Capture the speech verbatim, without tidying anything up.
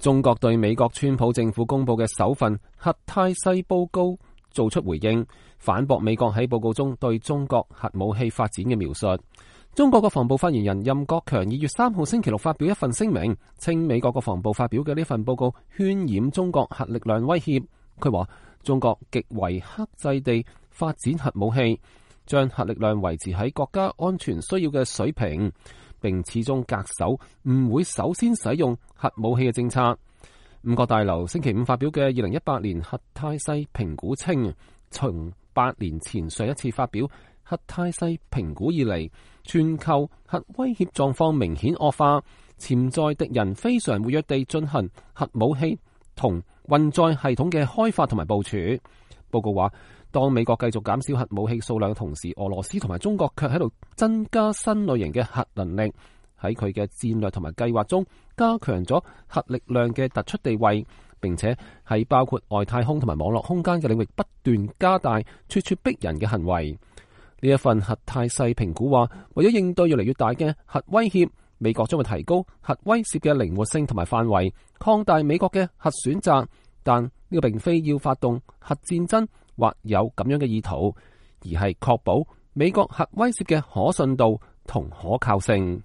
中國對美國川普政府公布嘅首份核態勢報告做出回應，反駁美國喺報告中對中國核武器發展嘅描述。中國國防部發言人任國強二月三號星期六發表一份聲明，稱美國國防部發表嘅呢份報告渲染中國核力量威脅。佢話中國極為克制地發展核武器，將核力量維持喺國家安全需要嘅水平，並始終恪守唔會首先使用核武器嘅政策。五角大樓星期五發表嘅二零一八年核態勢評估稱，從八年前上一次發表核態勢評估以嚟，全球核威脅狀況明顯惡化，潛在敵人非常活躍地進行核武器同運載系統嘅開發同埋部署。報告話，當美國繼續減少核武器數量嘅同時，俄羅斯同埋中國卻喺度增加新類型嘅核能力，喺佢嘅戰略同埋計劃中加強咗核力量嘅突出地位，並且喺包括外太空同埋網絡空間嘅領域不斷加大咄咄逼人嘅行為。呢一份核態勢評估話，為咗應對越嚟越大嘅核威脅，美國將會提高核威懾嘅靈活性同埋範圍，擴大美國嘅核選擇，但呢個並非要發動核戰爭或有咁樣嘅意圖，而係確保美國核威懾嘅可信度同可靠性。